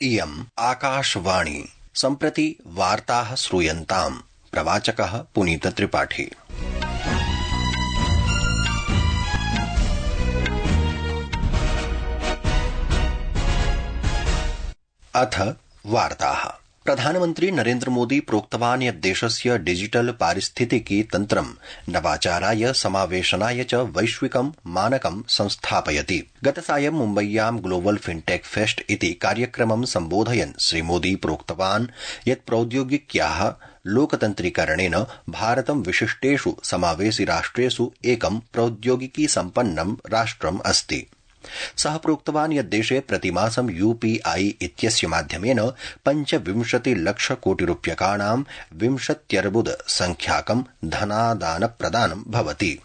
इयम् आकाशवाणी। सम्प्रति वार्ताः श्रूयन्ताम्। प्रवाचकः पुनीत त्रिपाठी। अथ वार्ताः। प्रधानमन्त्री नरेन्द्र मोदी प्रोक्तवान् यत् देशस्य डिजिटल पारिस्थितिकी तन्त्रं नवाचाराय समावेशनाय च वैश्विकं मानकं संस्थापयति। गतसायं मुम्बय्यां ग्लोबल फिनटेक फेस्ट इति कार्यक्रमं सम्बोधयन् श्रीमोदी प्रोक्तवान् यत् प्रौद्योगिक्याः लोकतन्त्रीकरणेन भारतं विशिष्टेष् समावेशि राष्ट्रेष् एकं प्रौद्योगिकी सम्पन्नं राष्ट्रम् अस्ति। सः प्रोक्तवान् यत् देशे प्रतिमासं यूपीआई इत्यस्य माध्यमेन 25 लक्ष कोटि रूप्यकाणां 20 अर्बुद संख्याकं धनादान प्रदानं भवति।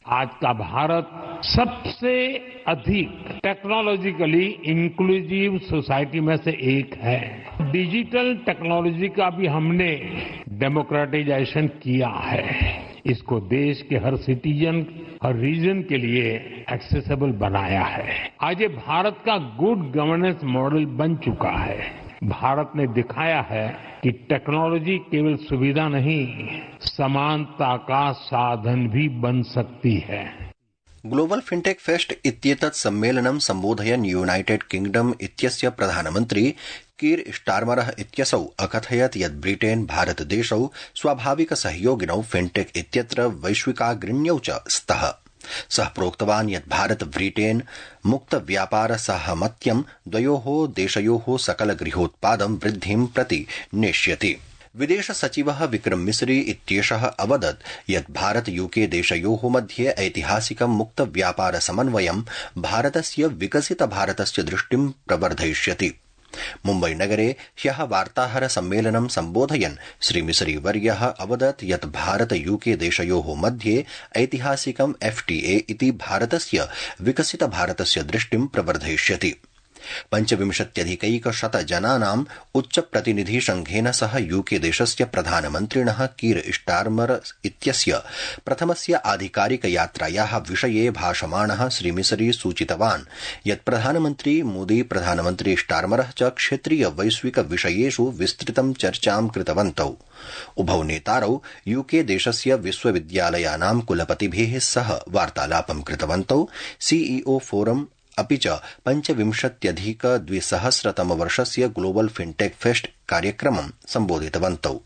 आज का भारत सबसे अधिक टेक्नोलॉजिकली इंक्लूसिव सोसाइटी में से एक है। डिजिटल टेक्नोलॉजी का भी हमने डेमोक्रेटाइजेशन किया है। इसको देश के हर सिटीजन, हर रीजन के लिए एक्सेसिबल बनाया है। आज ये भारत का गुड गवर्नेंस मॉडल बन चुका है। भारत ने दिखाया है कि टेक्नोलॉजी केवल सुविधा नहीं, समानता का साधन भी बन सकती है। ग्लोबल फिनटेक फेस्ट इत्येतत् सम्मेलनं सम्बोधयन् यूनाइटेड किंगडम इत्यस्य प्रधानमन्त्री कीर स्टारमरः इत्यसौ अकथयत् यत् ब्रिटेन भारतदेशौ स्वाभाविक सहयोगिनौ फिनटेक इत्यत्र वैश्विकाग्रण्यौ च स्तः। सः प्रोक्तवान् यत् भारत ब्रिटेन मुक्त व्यापार साहमत्यं द्वयोः देशयोः सकल गृहोत्पादं वृद्धिं प्रति नेष्यति। विदेश सचिवः विक्रम मिस्री इत्येषः अवदत् यत् भारत यूके देशयोः मध्ये ऐतिहासिकं मुक्त व्यापार समन्वयं भारतस्य विकसित भारतस्य दृष्टिं प्रवर्धयिष्यति। मुम्बई नगरे ह्यः वार्ताहर सम्मेलनं सम्बोधयन् श्रीमिस्री वर्यः अवदत् यत् भारत यूके देशयोः मध्ये ऐतिहासिकं FTA इति भारतस्य विकसित भारतस्य दृष्टिं प्रवर्धयिष्यति। 25,100 जनानाम् उच्च प्रतिनिधि संघेन सह यूके देशस्य प्रधानमन्त्रिणः कीर स्टारमर इत्यस्य प्रथमस्य आधिकारिक यात्रायाः विषये भाषमाणः श्रीमिस्री सूचितवान् यत् प्रधानमन्त्री मोदी प्रधानमन्त्री स्टारमरः च क्षेत्रीय वैश्विक विषयेषु विस्तृतं चर्चां कृतवन्तौ। उभौ नेतारौ यूके देशस्य विश्वविद्यालयानां कुलपतिभिः सह वार्तालापं कृतवन्तौ। सीईओ फोरम अपि च 25,200 वर्षस्य ग्लोबल फिनटेक फेस्ट कार्यक्रमं सम्बोधितवन्तौ।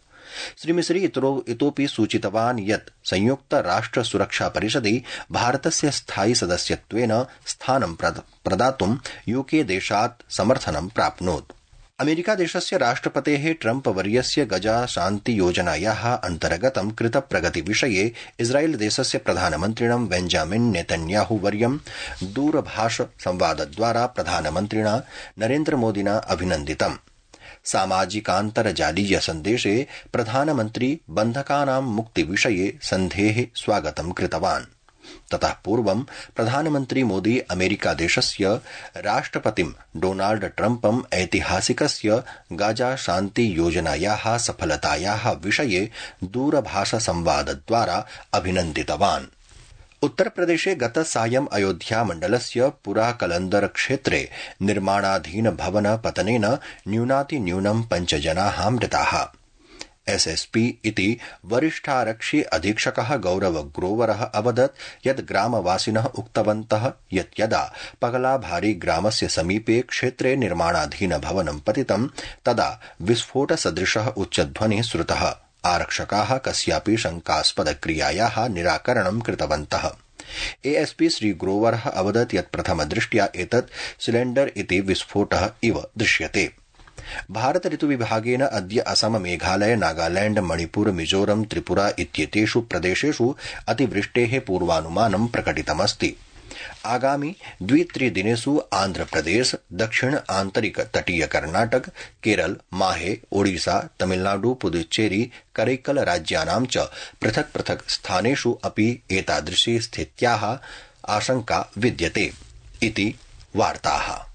श्रीमिस्री इतोपि सूचितवान् यत् संयुक्त राष्ट्र सुरक्षा परिषदि भारतस्य स्थायि सदस्यत्वेन स्थानं प्रदातुं यूके देशात् समर्थनं प्राप्नोत्। अमेरिका देशस्य राष्ट्रपतेः ट्रम्प वर्यस्य गजा शान्ति योजनायाः अन्तर्गतं कृत प्रगति विषये इस्राएल देशस्य प्रधानमन्त्रिणं बेंजामिन नेतन्याहू वर्यं दूरभाष संवादद्वारा प्रधानमन्त्रिणा नरेन्द्र मोदिना अभिनन्दितम्। सामाजिकान्तर्जालीय सन्देशे प्रधानमन्त्री बन्धकानां मुक्ति विषये सन्धेः स्वागतं कृतवान्। ततः पूर्वं प्रधानमन्त्री मोदी अमेरिका देशस्य राष्ट्रपतिं डोनाल्ड ट्रम्पं ऐतिहासिकस्य गाजा शान्ति योजनायाः सफलतायाः विषये दूरभाष संवादद्वारा अभिनन्दितवान्। उत्तरप्रदेशे गत सायं अयोध्या मण्डलस्य पुरा कलन्दर क्षेत्रे निर्माणाधीन भवन पतनेन न्यूनातिन्यूनं 5 जनाः मृताः। SSP इति वरिष्ठारक्षि अधीक्षकः गौरव ग्रोवरः अवदत् यत् ग्रामवासिनः उक्तवन्तः यत् यदा पगलाभारी ग्रामस्य समीपे क्षेत्रे निर्माणाधीन भवनं पतितं तदा विस्फोट सदृशः उच्चध्वनिः श्रुतः। आरक्षकाः कस्यापि शंकास्पद क्रियायाः निराकरणं कृतवन्तः। ASP श्री ग्रोवरः अवदत् यत् प्रथमदृष्ट्या एतत् सिलेण्डर इति विस्फोटः इव दृश्यते। भारत ऋतुविभागेन अद्य असम, मेघालय, नागालैंड, मणिपुर, मिजोरम, त्रिपुरा इत्येतेषु प्रदेशेषु अतिवृष्टेः पूर्वानुमानं प्रकटितमस्ति। आगामि 2-3 दिनेषु आन्ध्रप्रदेश, दक्षिण आन्तरिक तटीय कर्नाटक, केरल, माहे, ओडिशा, तमिलनाडु, पुदुच्चेरी, करैक्कल राज्यानां च पृथक् पृथक् स्थानेषु अपि एतादृशी स्थित्याः आशंका विद्यते इति वार्ताः।